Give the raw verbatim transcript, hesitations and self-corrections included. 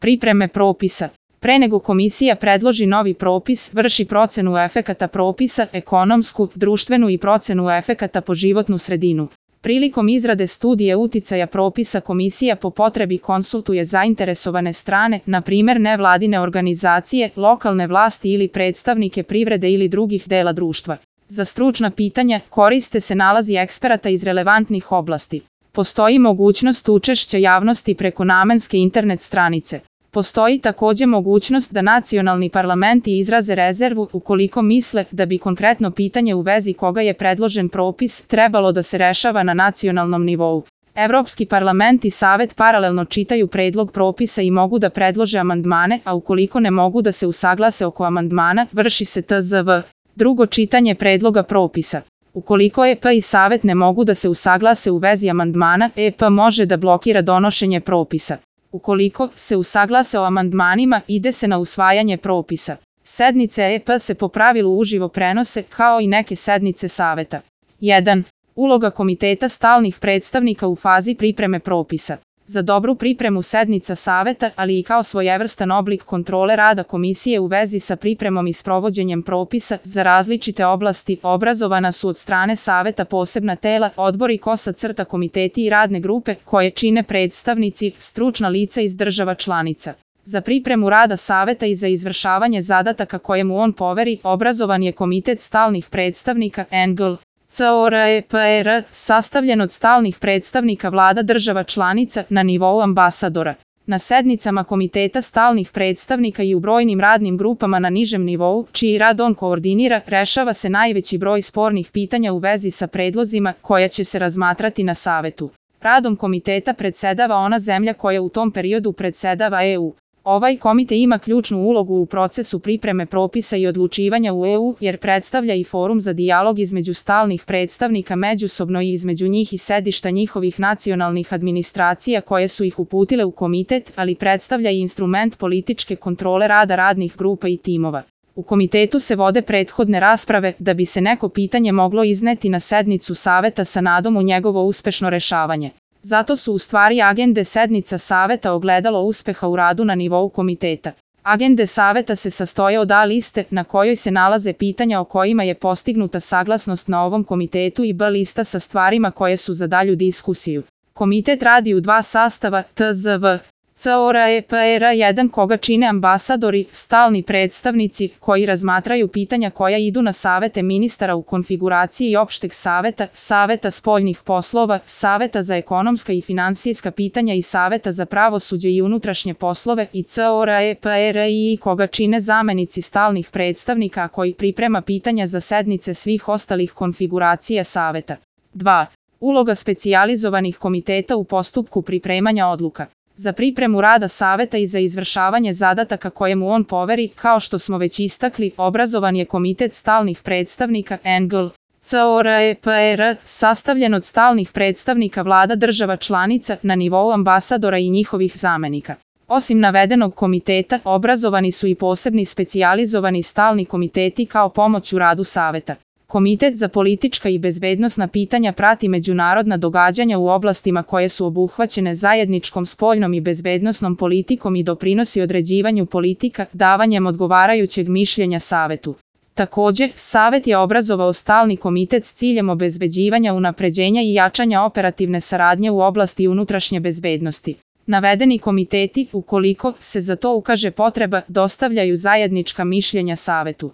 Pripreme propisa. Pre nego komisija predloži novi propis, vrši procenu efekata propisa, ekonomsku, društvenu i procenu efekata po životnu sredinu. Prilikom izrade studije uticaja propisa komisija po potrebi konsultuje zainteresovane strane, na primer nevladine organizacije, lokalne vlasti ili predstavnike privrede ili drugih dela društva. Za stručna pitanja koriste se nalazi eksperata iz relevantnih oblasti. Postoji mogućnost učešća javnosti preko namenske internet stranice. Postoji takođe mogućnost da nacionalni parlamenti izraze rezervu ukoliko misle da bi konkretno pitanje u vezi koga je predložen propis trebalo da se rešava na nacionalnom nivou. Evropski parlament i Savet paralelno čitaju predlog propisa i mogu da predlože amandmane, a ukoliko ne mogu da se usaglase oko amandmana, vrši se T Z V. Drugo čitanje predloga propisa. Ukoliko E P i Savet ne mogu da se usaglase u vezi amandmana, E P može da blokira donošenje propisa. Ukoliko se usaglase o amandmanima, ide se na usvajanje propisa. Sednice E P se po pravilu uživo prenose, kao i neke sednice Saveta. jedan. Uloga komiteta stalnih predstavnika u fazi pripreme propisa. Za dobru pripremu sednica Saveta, ali i kao svojevrstan oblik kontrole rada komisije u vezi sa pripremom i sprovođenjem propisa za različite oblasti, obrazovana su od strane Saveta posebna tela, odbori kosa crta komiteti i radne grupe, koje čine predstavnici, stručna lica iz država članica. Za pripremu rada Saveta i za izvršavanje zadataka koje mu on poveri, obrazovan je komitet stalnih predstavnika N G L. C O R E P E R, sastavljen od stalnih predstavnika vlada država članica na nivou ambasadora. Na sednicama komiteta stalnih predstavnika i u brojnim radnim grupama na nižem nivou, čiji rad on koordinira, rešava se najveći broj spornih pitanja u vezi sa predlozima koja će se razmatrati na Savetu. Radom komiteta predsedava ona zemlja koja u tom periodu predsedava E U. Ovaj komite ima ključnu ulogu u procesu pripreme propisa i odlučivanja u E U, jer predstavlja i forum za dijalog između stalnih predstavnika međusobno i između njih i sedišta njihovih nacionalnih administracija koje su ih uputile u komitet, ali predstavlja i instrument političke kontrole rada radnih grupa i timova. U komitetu se vode prethodne rasprave da bi se neko pitanje moglo izneti na sednicu Saveta sa nadom u njegovo uspešno rešavanje. Zato su u stvari agende sednica Saveta ogledalo uspeha u radu na nivou komiteta. Agende Saveta se sastoje od A liste na kojoj se nalaze pitanja o kojima je postignuta saglasnost na ovom komitetu i B lista sa stvarima koje su za dalju diskusiju. Komitet radi u dva sastava, T Z V. C O R E P E R jedan koga čine ambasadori, stalni predstavnici, koji razmatraju pitanja koja idu na savete ministara u konfiguraciji opšteg saveta, saveta spoljnih poslova, saveta za ekonomska i finansijska pitanja i saveta za pravosuđe i unutrašnje poslove i C O R E P E R I koga čine zamenici stalnih predstavnika koji priprema pitanja za sednice svih ostalih konfiguracija saveta. dva. Uloga specijalizovanih komiteta u postupku pripremanja odluka. Za pripremu rada Saveta i za izvršavanje zadataka koje mu on poveri, kao što smo već istakli, obrazovan je komitet stalnih predstavnika N G L. C O R E P E R, sastavljen od stalnih predstavnika vlada država članica na nivou ambasadora i njihovih zamenika. Osim navedenog komiteta, obrazovani su i posebni specijalizovani stalni komiteti kao pomoć u radu Saveta. Komitet za politička i bezbednosna pitanja prati međunarodna događanja u oblastima koje su obuhvaćene zajedničkom spoljnom i bezbednosnom politikom i doprinosi određivanju politika, davanjem odgovarajućeg mišljenja Savetu. Takođe, Savet je obrazovao stalni komitet s ciljem obezbeđivanja, unapređenja i jačanja operativne saradnje u oblasti unutrašnje bezbednosti. Navedeni komiteti, ukoliko se za to ukaže potreba, dostavljaju zajednička mišljenja Savetu.